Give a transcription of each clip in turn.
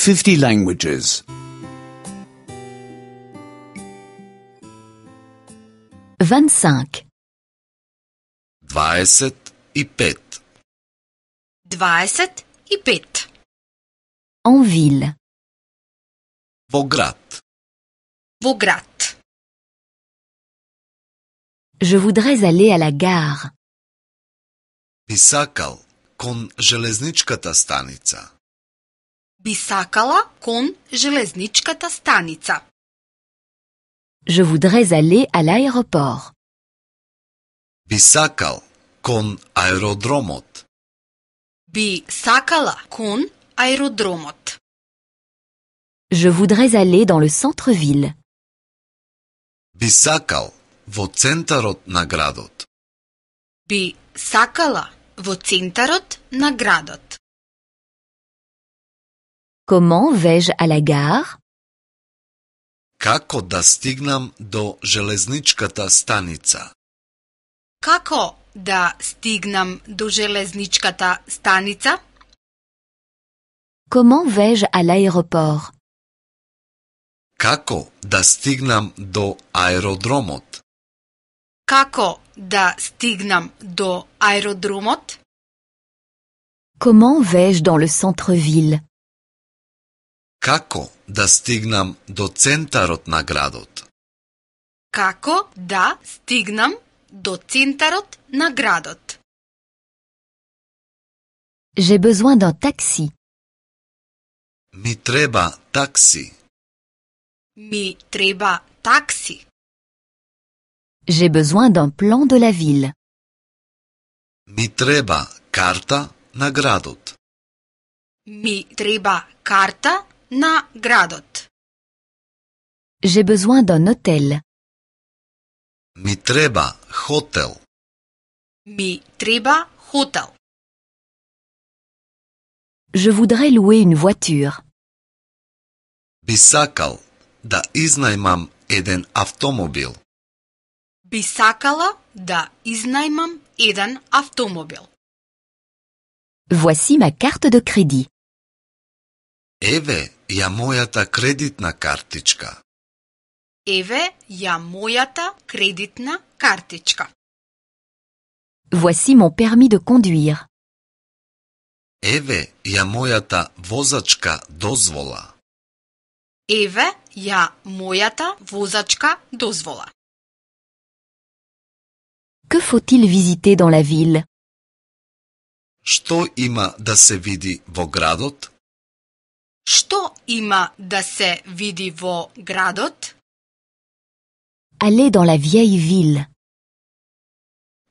50 languages. 25. 25. 25. En ville. Во град. Во град. Je voudrais aller à la gare. Би сакал кон железничката станица. Би сакала кон железничката станица. Je voudrais aller à l'aéroport. Би сакал кон аеродромот. Би сакала кон аеродромот. Je voudrais aller dans le centre-ville. Би сакал во центарот на градот. Би сакала во центарот на градот. Comment vais-je à la gare? Како да стигнам до железничката станица? Како да стигнам до железничката станица? Comment vais-je à l'aéroport? Како да стигнам до аеродромот? Како да стигнам до аеродромот? Comment vais-je dans le centre-ville? Како да стигнам до центарот на градот? Како да стигнам до центарот на градот? J'ai besoin d'un taxi. Ми треба такси. Ми треба такси. J'ai besoin d'un plan de la ville. Ми треба карта на градот. Ми треба карта на градот. J'ai besoin d'un hôtel. Ми треба хотел. Ми треба хотел. Je voudrais louer une voiture. Би сакал да изнајмам еден автомобил. Би сакала да изнајмам еден автомобил. Voici ma carte de crédit. Еве ја мојата кредитна картичка. Еве ја мојата кредитна картичка. Voici mon permis de conduire. Еве ја мојата возачка дозвола. Еве ја мојата возачка дозвола. Que faut-il visiter dans la ville? Што има да се види во градот? Што има да се види во градот? Allez dans la vieille ville.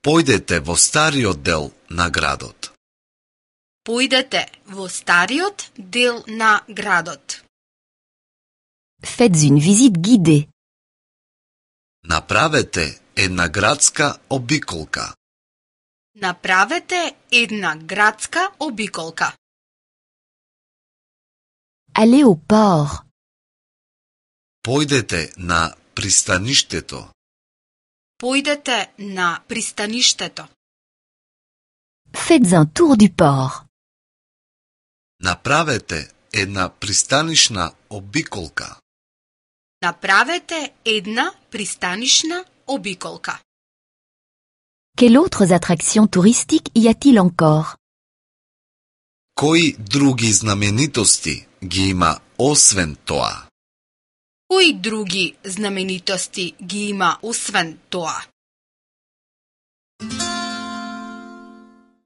Појдете во стариот дел на градот. Појдете во стариот дел на градот. Faites une visite guidée. Направете една градска обиколка. Направете една градска обиколка. Allez au port. Појдете на пристаништето. Појдете на пристаништето. Faites un tour du port. Направете една пристанишна обиколка. Направете една пристанишна обиколка. Quelles autres attractions touristiques y a-t-il encore? Кои други знаменитости ги има освен тоа? Кои други знаменитости ги има освен тоа?